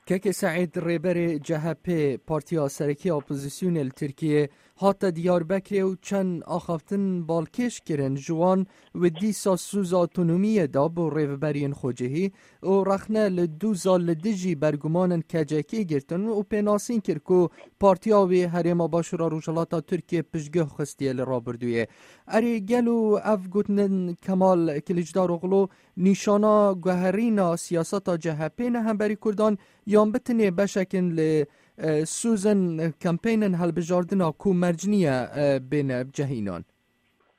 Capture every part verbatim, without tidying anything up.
Kekê Seîd, rêberê C H P, partiya serekî ya opozîsyonê li Tirkiyê, hate Diyarbekirê û çend axaftin balkêş kirin ji wan, wê dîsa sûza otonomiyê da bo rêveberiyên xwecihî û rexne li dûza li dijî bergumanên K C K girtin û pênasîn kir ku partiya wî Herêma Başûra Rojhilata Tirkiyê piştguh xistiye li rabirdûyê. Erê, gelo ev gotinên Kemal Kiliçdaroglu nîşana guherîna siyaseta C H P ne hemberî Kurdan, yan bi tinê beşekin li, e, sûzên kampeynin hilbijardina ku merc niye, e, bêne cehînan?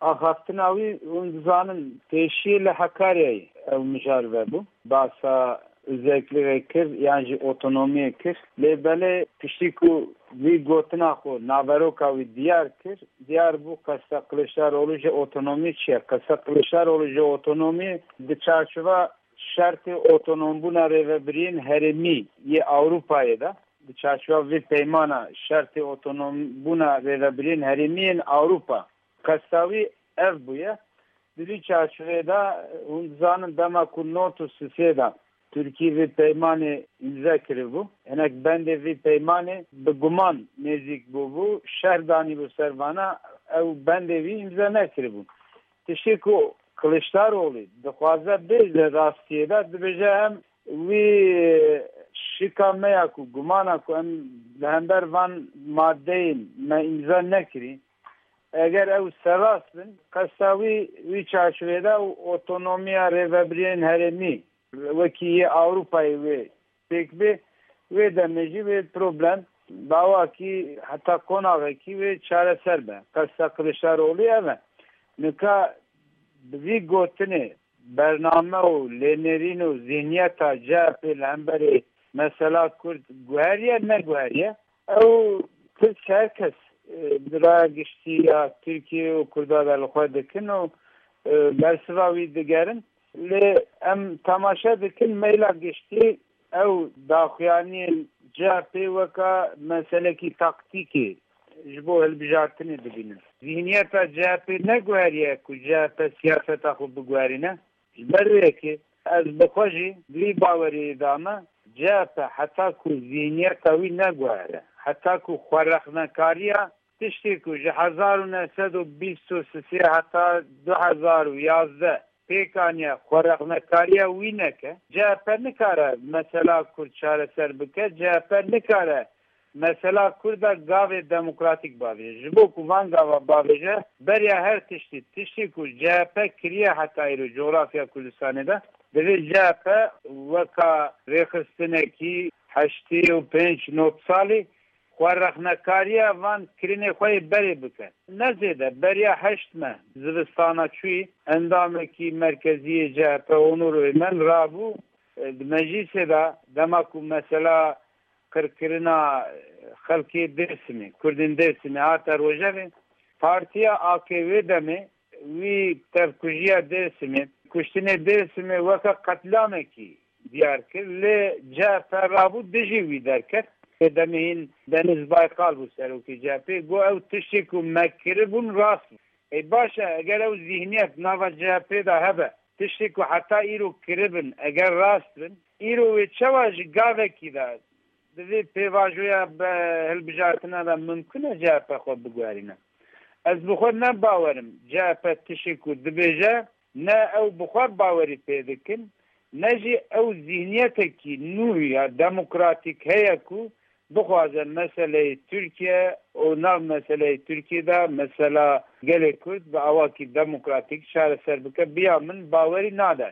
Axaftina wî, hûn dizanin, pêşiyê li Hekaryayê ew mijar vebû. Basa özelliğê kir, yan jî otonomiyê kir. Lê belê piştî ku vî gotina xwe, naveroka wî diyar kir, diyar bû qesta Kiliçdaroglu ji otonomî çi ye? Qesta Kiliçdaroglu ji otonomî di çarçova şertê otonombûna rêvebiriyên herêmî yê Ewropayê de, di çarçova vê peymana şertê otonombûna rêvebiriyên herêmî yên Ewropa, qesta wî ev bûye. Di vî çarçovê de, hûn dizanin, dema ku nod û sisê de Tirkî vê peymanê îmze kiribû, hinek bendê vê peymanê bi guman nêzîk bûbû, şer danîbû ser vana, ew bendê wî îmze nekiribû. Tiştê ku Kiliçdaroglu dixwaze bêje rastiyê de, dibêje em wî şika me ya ku gumana ku em li hember van madeyên me îmza nekirî, eger ew serrast bin, qesta wî, wî çarçovê de û otonomiya rêvebiriyên herêmî wekî yê Ewropayê wê pêk bê, wê demê jî wê problem bi awakî heta qonaxekî wê çareser be. Qesta Kiliçdaroglu ev e. Nika bi vî gotinê bername û lênerîn û zihniyeta C H P li hemberî mesela Kurd guheriye, neguheriye. Ew tirsk her kes, e, di raya giştî ya Tirkiye û Kurda de li xwe dikin û, e, bersiva wî digerin. Lê em temaşe dikin, meyla giştî ew daxuyaniyên C H P weka meselekî taktîkê ji bo hilbijartinê dibînin. Zihniyeta C H P neguheriye ku C H P siyaseta xwe biguherîne. Ji ber wê yekê ez bi xwe jî di vî baweriyê de me, C H P heta ku zihniyeta wî neguhere, heta ku xwerexnekariya tiştê ku ji hezar û neh sed û bîst û sisê heta du hezar û yazdeh pêk aniye, xwerexnekariya wî neke, C H P nikare mesela Kurd çareser bike, C H P nikare mesela Kurda gavê demokratîk bavêje. Ji bo ku van gava bavêje, beriya her tiştî, tiştê ku C H P kiriye heta îro coğrafya Kurdistanê de, divê C H P weka rêxistinekî heştê û pênc nod salî xwe rexnekariya van kirinê xwe yê berê bike. Ne zêde, beriya heşt meh zivistana çûyî, endamekî merkezî yê C H P Onur Öymen rabû, e, di meclîsê de, dema ku mesela qirkirina xelkê Dêrsimê, Kurdên Dêrsimê hate rojevê, partiya A K wê demê wî tevkujiya Dêrsimê, kuştinê Dêrsimê weke qetlamekî diyar kir, lê C H P rabû dijî wî derket. Lê demê hîn Deniz Baykal bû serokê C H P, got, ew tiştê ku me kiribûn rast bû. Ê baş e, eger ew zihniyet nava C H P de hebe, tiştê ku heta îro kiribin, eger rast bin, îro wê çawa ji gavekî de di vê pêvajoya bi hilbijartina de mimkun e C H P xwe biguherîne? Ez bi xwe ne bawer im C H P tiştê ku dibêje, ne ew bi xwe bawerî pê dikin, ne jî ew zîhniyetekî nû ya demokratîk heye ku bixwaze meseleyê Tirkiye û nav meseleyê Tirkiye de mesela gelê Kurd bi awakî demokratîk çareser bike, bi ya min bawerî nade.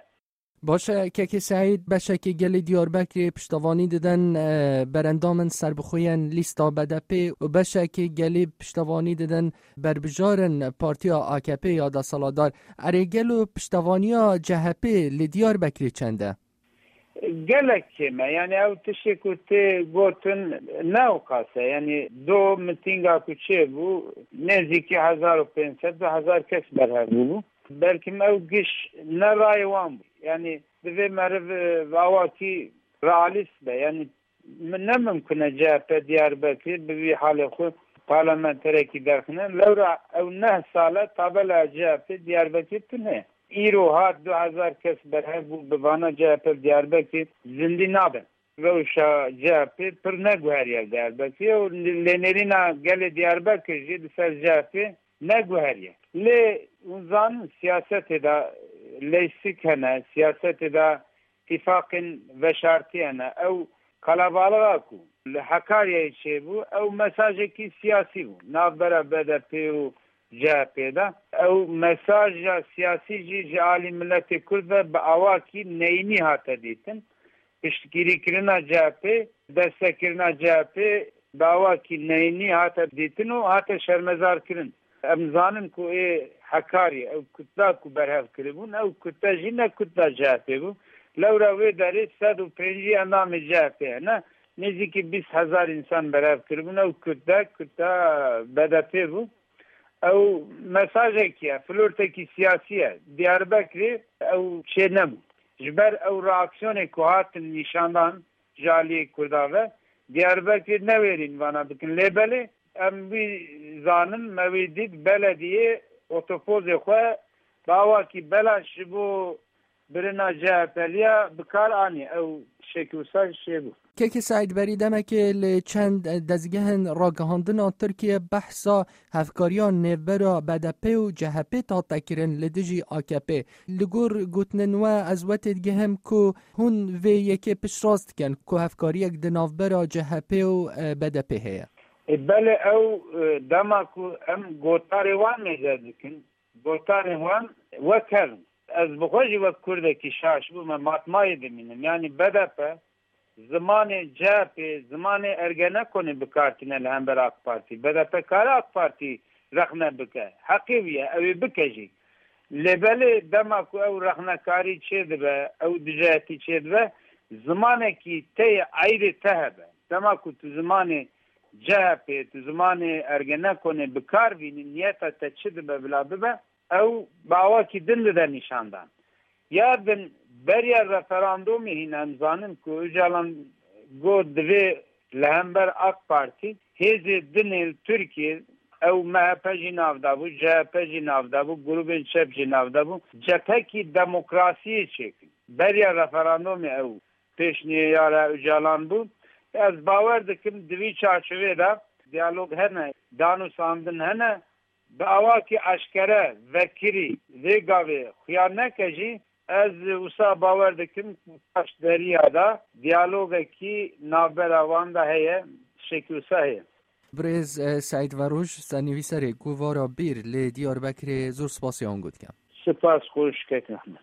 Baş e, Kekê Seîd, beşekê gelê Diyarbekirê piştevanî didin, e, berendamên serbixwe yên lîsta B D P û beşekê gelê piştevanî didin berbijarên partiya A K P ya desthilatdar. Erê, gelo piştevaniya C H P li Diyarbekirê çend e? Gelek kêm e. Yanî ew tiştê ku tê gotin ne ew qas e. Yanî do mitînga ku çêbû, nêzîkî hezar û pênc sed, du hezar kes berhev bûbû. Belkim ew giş ne rayê wan bû. Yanî divê meriv, e, bi awakî realîst be. Yanî min ne mimkun e C H P Diyarbekirê bi vî halê xwe parlamenterekî derxine. Lewra ew neh sal e tabela C H P Diyarbekirê tune. Îro hat du hezar kes berhev bû, bi vana C H P Diyarbekirê zindî nabe. rewşa C H P pir neguheriye Diyarbekirê û lênerîna gelê Diyarbekir jî li ser C H P neguheriye. Lê hûn zanin siyasetê de leysik hene, siyasetê de tîfaqên veşartî hene. Ew qelebalixa ku li Hekaryayê çêbû, ew mesajekî siyasî bû. Navbera B D P û C H P de. Ew mesaja siyasî jî ji alî miletê Kurd ve bi awakî neyînî hate dîtin. Piştgirîkirina C H P, destekirina C H P bi awakî neyînî hate dîtin û hate şermezarkirin. Em zanin ku ê Hekarî, ew kutle ku berhev kiribûn, ew kutle jî ne kutle C H P bû. Lewra wê derê sed û pêncî endamê C H P hene. Nêzîkî bîst hezar însan berhev kiribûn. Ew kutle, kutle B D P bû. Ew mesajekî ye, flortekî siyasî ye. Diyarbekirê ew çê nebû. Ji ber ew reaksiyonê ku hatin nîşandan ji aliyê Kurda ve, Diyarbekirê newêrîn vana bikin. Lê belê em wî zanin, me wî dît, belediyê otopozê xwe bi awakî belaş ji bo birina C H P'liya bi kar anî. Ew şekî wisa jî çêbû. Kekê Seîd, berî demekê li çend dezgehên ragihandina Tirkiye behsa hevkariya nêvbera B D P û C H P hate kirin li dijî A K P. Li gor gotinên we ez wetê digihim ku hûn vê yekê piştrast dikin ku hevkariyek di navbera C H P û, e, B D P heye. E, belê ew, e, dema ku em gotarê wan mêze dikin, gotarên wan wek hev in. Ez bi xwe jî wek Kurdekî şaş bûme, matmayê dimînim. Yanî B D P zimanê C H P, zimanê Ergenekonê bi kar tîne li hember AK Partî. B D P kare AK Partî rexne bike. Heqê wî ye, ew ê bike jî. Lê belê dema ku ew rexnekarî çêdibe, ew dijayetî çêdibe, zimanekî te yê eyrê te hebe. Dema ku tu zimanê C H P, tu zimanê Ergenekonê bi kar bînî, niyeta te çi dibe bila bibe, ew bi awakî din dide nîşandan. Ya din beriya referandûmê hîn em zanin ku Ocalan got divê li hember AK Partî hêzê din ê li Tirkiyê, ew M H P jî nav de bû, C H P jî nav de bû, grûbên çep jî nav de bû, cephekî demokrasiyê çêkin. Beriya referandûmê ew pêşniyara Ocalan bû. Ez bawer dikim di vî çarçovê de diyalog hene, danûstandin hene. Bi awakî eşkere, vekirî vê gavê xuya neke jî, ez wisa bawer dikim ku paş deriya de diyalogekî navbera wan de heye, şekî wisa heye. Birêz, e, Seîd Veroj, sernivîserê Kovara Bîr li Diyarbekirê, zor spasiya hûn got dikim. Spas xweş kek Ehmed.